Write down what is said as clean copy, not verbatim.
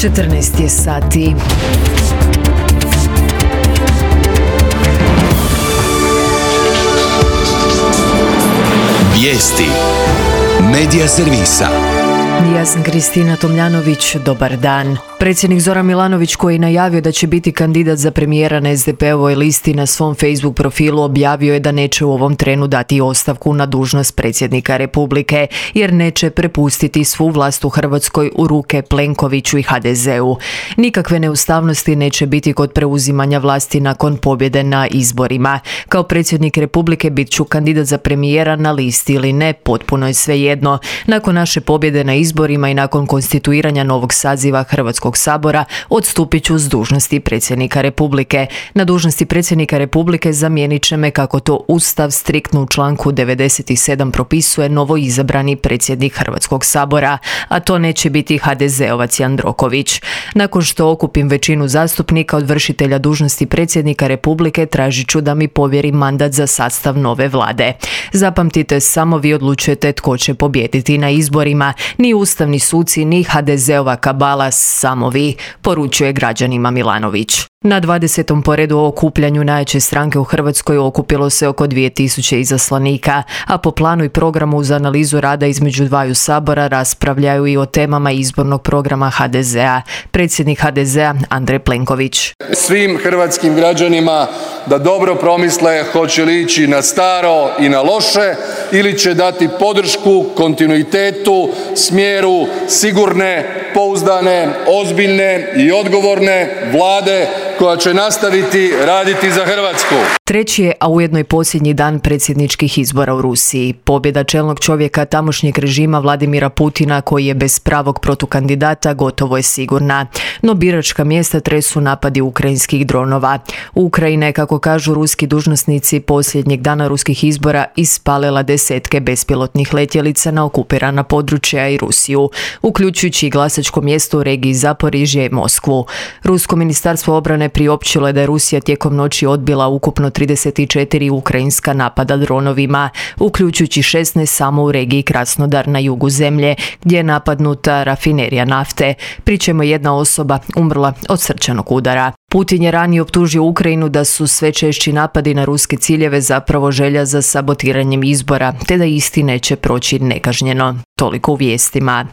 14 je sati. Vijesti Medija servisa. Ja sam Kristina Tomljanović, dobar dan. Predsjednik Zoran Milanović, koji je najavio da će biti kandidat za premijera na SDP-ovoj listi, na svom Facebook profilu objavio je da neće u ovom trenu dati ostavku na dužnost predsjednika Republike, jer neće prepustiti svu vlast u Hrvatskoj u ruke Plenkoviću i HDZ-u. Nikakve neustavnosti neće biti kod preuzimanja vlasti nakon pobjede na izborima. Kao predsjednik Republike bit ću kandidat za premijera na listi ili ne, potpuno je svejedno. Nakon naše pobjede na izborima i nakon konstituiranja novog saziva Hrvatskog sabora odstupit ću s dužnosti predsjednika Republike. Na dužnosti predsjednika Republike zamijenit će me, kako to Ustav striktno u članku 97 propisuje, novo izabrani predsjednik Hrvatskog sabora, a to neće biti HDZ-ovac Jandroković. Nakon što okupim većinu zastupnika od vršitelja dužnosti predsjednika Republike, tražit ću da mi povjeri mandat za sastav nove vlade. Zapamtite, samo vi odlučujete tko će pobijediti na izborima, ni ustavni suci, ni HDZ-ova kabala, samo vi, poručuje građanima Milanović. Na 20. po redu o okupljanju najjače stranke u Hrvatskoj okupilo se oko 2000 izaslanika, a po planu i programu uz analizu rada između dvaju sabora raspravljaju i o temama izbornog programa HDZ-a. Predsjednik HDZ-a Andrej Plenković. Svim hrvatskim građanima da dobro promisle hoće li ići na staro i na loše ili će dati podršku kontinuitetu, smjeru sigurne, pouzdane, ozbiljne i odgovorne vlade koja će nastaviti raditi za Hrvatsku. Treći je, a ujedno i posljednji dan predsjedničkih izbora u Rusiji. Pobjeda čelnog čovjeka tamošnjeg režima Vladimira Putina, koji je bez pravog protukandidata, gotovo je sigurna. No biračka mjesta tresu napadi ukrajinskih dronova. Ukrajina je, kako kažu ruski dužnosnici, posljednjeg dana ruskih izbora ispalila desetke bespilotnih letjelica na okupirana područja i Rusiju, uključujući i glasačko mjesto u regiji Zaporižje i Moskvu. Rusko ministarstvo obrane priopćilo je da je Rusija tijekom noći odbila ukupno 34 ukrajinska napada dronovima, uključujući 16 samo u regiji Krasnodar na jugu zemlje, gdje je napadnuta rafinerija nafte, pri čemu je jedna osoba umrla od srčanog udara. Putin je ranije optužio Ukrajinu da su sve češći napadi na ruske ciljeve zapravo želja za sabotiranjem izbora, te da isti neće proći nekažnjeno. Toliko u vijestima.